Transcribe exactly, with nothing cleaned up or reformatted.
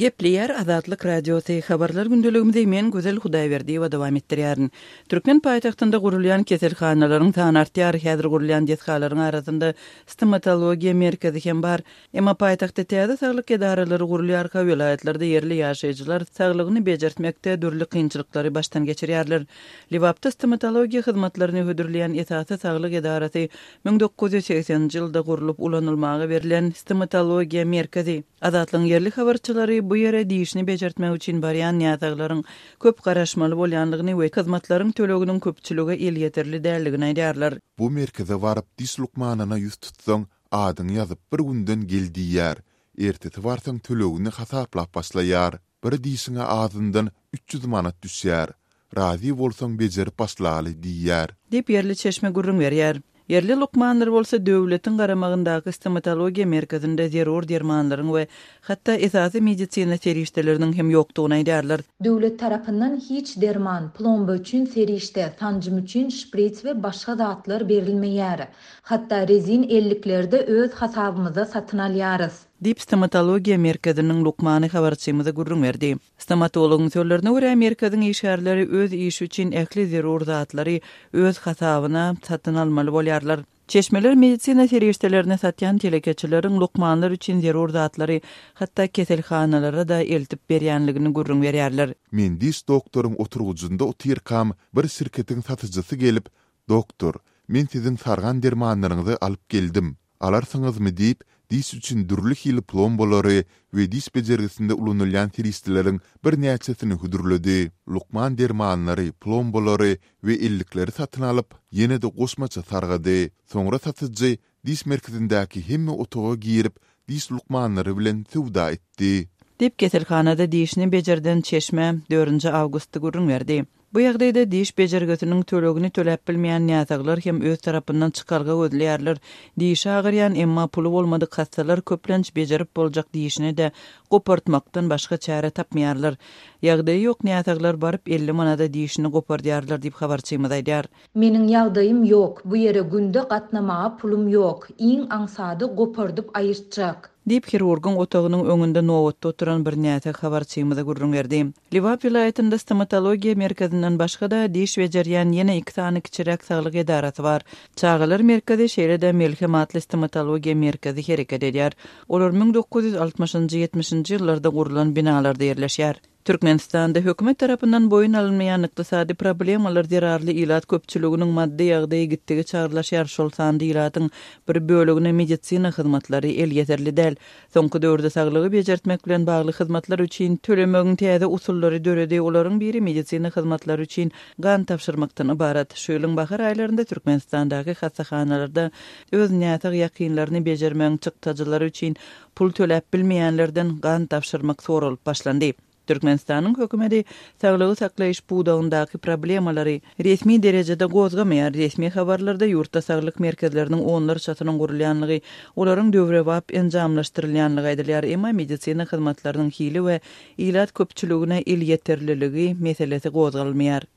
Gepleýär Azatlyk Radiosy habarlar gündeligimizi men Gözel Hudaýberdiýewa dowam etdirýärin. Türkmen paýtagtynda gurulýan keselhanalaryň sany artýar. Häzir gurulýan desgalaryň arasynda stomatologiýa merkezi hem bar. Emma paýtagtda täze saglyk edaralary gurulýarka welaýatlarda ýerli ýaşaýjylar saglygyny bejertmekde dürli kynçylyklary başdan geçirýärler. Lebapda stomatologiýa hyzmatlaryny hödürleýän esasy saglyk edarasy müň dokuz ýüz segseninji ýylda gurlup ulanylmaga berlen stomatologiýa merkezi. Azatlygyň ýerli habarçylary bu ýere dişini bejertmek üçin barýan näsaglaryň köp garaşmaly bolýanlygyny we hyzmatlaryň töleginiň köpçülige elýeterli däldigini aýdýarlar. Bu merkeze baryp diş lukmanyna ýüz tutsaň, adyňy ýazyp bir günden gel diýýär. Ertesi barsaň tölegini hasaplap başlaýar. Bir dişiňe azyndan üç ýüz manat düşýär. Razy bolsaň bejerip başlaly diýýär. Diýip ýerli çeşme gürrüň berýär. Ýerli lukmanlar bolsa döwletiň garamagyndaky stomatologiýa merkezinde zerur dermanlaryň we hatda esasy medisina serişdeleriniň hem ýokdugyny aýdýarlar. Döwlet tarapyndan hiç derman, plomba üçin serişde, sanjym üçin şprits we başga zatlar berilmeýär. Hatda rezin ellikleri-de öz hasabymyza satyn alýarys. Diýip stomatologiýa merkeziniň lukmany habarçymyza gürrüň berdi. Stomatologyň sözlerine görä merkeziň işgärleri öz işi üçin ähli zerur zatlary öz hasabyna satyn almaly bolýarlar. Çeşmeler medisina serişdelerini satýan telekeçileriň lukmanlar üçin zerur zatlary hatda keselhanalara da eltip berýänligini gürrüň berýärler. Men diş doktoryň oturgyjynda otyrkam bir şirketiň satyjysy gelip, Doktor, men siziň sargan dermanlaryňyzy alyp geldim. Alarsyňyzmy diýip, diş üçin dürli hili plombalary we diş bejergisinde ulanylýan serişdeleriň birnäçesini hödürledi. Lukman dermanlary, plombalary we ellikleri satyn alyp, ýene-de goşmaça sargady. Soňra satyjy diş merkezindäki hemme otaga girip, diş lukmanlary bilen söwda etdi. Diýip keselhanada dişini bejerden çeşme dördünji awgustda gürrüň berdi. Bu ýagdaýda diş bejergisiniň tölegini töläp bilmeýän näsaglar hem öz tarapyndan çykalga gözleýärler. Dişi agyrýan emma puly bolmadyk hastalar köplenç bejerip boljak dişini de gopartmakdan başga çäre tapmaýarlar. Ýagdaýy ýok näsaglar baryp elli manada dişini gopardýarlar diýip habarçymyz aýdýar. Meniň ýagdaýym ýok, bu ýere günde gatnamaga pulum ýok, iň aňsady gopardyp aýyrtjak. Diýip hirurgyň otagynyň öňünde nobatda oturan bir näsag habarçymyza gürrüň berdi. Lebap welaýatynda stomatologiýa merkezinden başga-da diş bejerýän ýene iki sany kiçiräk saglyk edarasy bar. Çagalar merkezi şeýle-de Melhem atly stomatologiýa merkezi hereket edýär. Olar müň dokuz ýüz altmyşynjy ýetmişinji ýyllarda gurlan binalarda ýerleşýär. Türkmenistanda hökümet tarapyndan boýun alynmaýan ykdysady problemalar zerarly ilat köpçüliginiň maddy ýagdaýy gitdigi çagyrlaşýar. Şol sanda ilatyň bir bölegine medisina hyzmatlary elýeterli däl. Soňky döwürde saglygy bejertmek bilen bagly hyzmatlar üçin tölemegiň täze usullary döredi. Olaryň biri medisina hyzmatlary üçin gan tapşyrmakdan ybarat. Şu ýylyň bahar aýlarynda Türkmenistandaky hassahanalarda öz näsag ýakynlaryny bejermegiň çykdajylary üçin pul töläp bilmeýänlerden gan tapşyrmak soralyp başlandy. Türkmenistanyň hökümeti saglygy saklaýyş pudagyndaky problemalary resmi derejede gozgamaýar. Resmi habarlarda ýurtda saglyk merkezleriniň onlarçasynyň gurulýanlygy, olaryň döwrebap enjamlaşdyrylýanlygy aýdylýar. Emma medisina hyzmatlarynyň hili we ilat köpçüligine elýeterliligi meselesi gozgalmaýar.